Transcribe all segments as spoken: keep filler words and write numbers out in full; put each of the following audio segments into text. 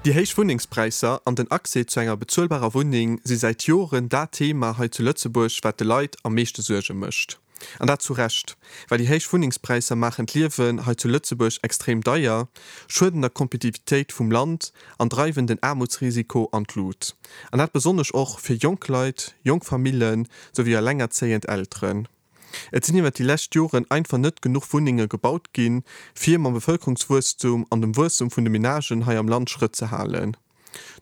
Déi héich Wunnengspräisser an den Accès zu enger bezuelbarer Wunneng si säit Joren dat Thema hei zu Lëtzebuerg, wat de Leit am meeschte Suerge mécht. An dat zu Recht, well déi héich Wunnengspräisser maachen d'Liewen hei zu Lëtzebuerg extrem deier, schueden der Kompetitivitéit vum Land an dreiwen den Aarmutsrisiko an d'Lut. An dat besonnesch och fir jonk Leit, jonk Famillen, souwéi elengerzéiend Elteren. Et sinn iwwert déi lescht Joren einfach net genuch Wunnenge gebaut ginn, fir mam Bevëlkerungswuesstum an dem Wuesstum vun de Menagen hei am Land Schrëtt ze halen.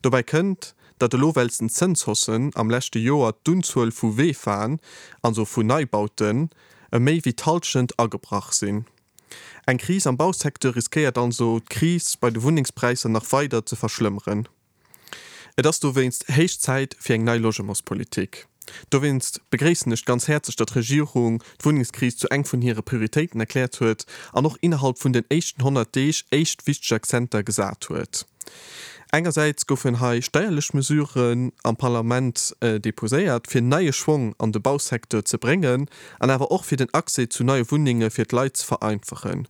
Dobäi kënnt, datt elo wéinst den Zënshaussen am leschte Joer d'Unzuel vu VEFAen, also vun Neibauten, ëm méi wéi d'Hallschent agebrach sinn. Eng Kris am Bausecteur riskéiert also, d'Kris bei de Wunnengspräisser nach weider ze verschlëmmeren. Et ass dowéinst héich Zäit fir eng nei Logementspolitik. Dowéinst begréissen ech ganz häerzlech, datt d'Regierung d'Wunnengskris zu eng vun hire Prioritéiten erkläert huet an och innerhalb vun den éischten honnert Deeg éischt wichteg Akzenter gesat huet. Engersäits goufen hei steierlech Mesuren am Parlament deposéiert, fir neie Schwong an de Bausecteur ze bréngen an awer och fir den Accès zu neie Wunnenge fir d'Leit ze vereinfachen.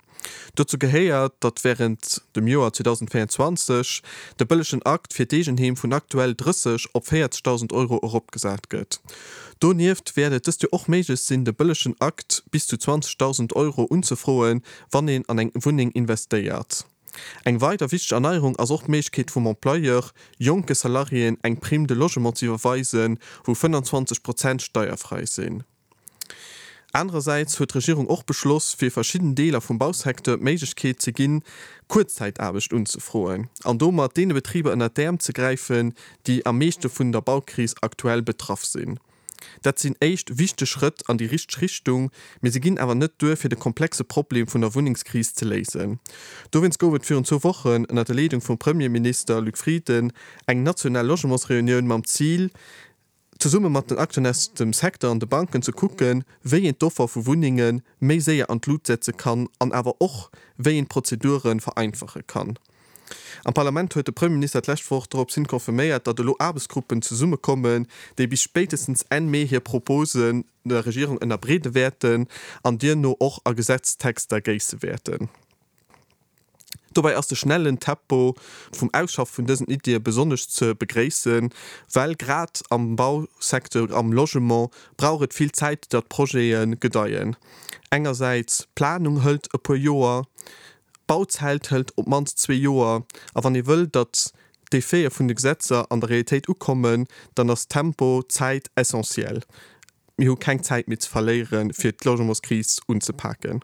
Dozou gehéiert, datt wärend dem Joer zweedausendvéierundzwanzeg de bëllegen Akt fir d'Eegenheem vun aktuell drësseg op véierzegdausend Euro eropgesat gëtt. Donieft wäert et dëst Joer och méiglech sinn, de bëllegen Akt bis zu zwanzegdausend Euro unzefroen, wann een an eng Wunneng investéiert. Eng weider wichteg Erneierung ass och d'Méiglechkeet vum Employeur, jonke Salariéen eng Prime de logement ze iwwerweisen, wou fënnanzwanzeg Prozent steierfräi sinn. Anerersäits huet d'Regierung och beschloss, fir verschidden Deeler vum Bausecteur d'Méiglechkeet ze ginn, Kuerzzäitaarbecht unzefroen an domat deene Betriber ënnert d'Äerm ze gräifen, déi am meeschte vun der Baukris aktuell betraff sinn. Dat sinn éischt wichteg Schrëtt an déi richteg Richtung, mee se ginn awer net duer, fir de komplexe Problem vun der Wunnengskris ze léisen. Dowéinst gouf et virun zwou Wochen ënnert der Leedung vum Premierminister Luc Frieden eng national Logementsreunioun mam Zil, zesumme mat den Acteuren aus dem Secteur an de Banken ze kucken, wéi een d'Offer vu Wunnenge méi séier an d'Lut setze kann an awer och, wéi een d'Prozedure vereinfache kann. Am Parlament huet de Premierminister d'lescht Woch dorops hin confirméiert, datt elo Aarbechtsgruppen zesummekommen, déi bis spéitestens Enn Mee hir Proposen der Regierung ënnerbreede wäerten an duerno och a Gesetztexter géisse wäerten. Dobäi ass de schnellen Tempo vum Ausschaffe vun dësen Iddie besonnesch ze begréissen, well grad am Bausecteur, am Logement brauch et vill Zäit, datt Projete gedeien. Engersäits, d'Planung hëlt e puer Joer, d'Bauzäit hëlt op d'mannst zwee Joer a wann ee wëll, datt d'Effete vun de Gesetzer an der Realitéit ukommen, dann ass Tempo, Zäit essentiell. Mir hu keng Zäit méi ze verléieren, fir d'Logementskris unzepaken.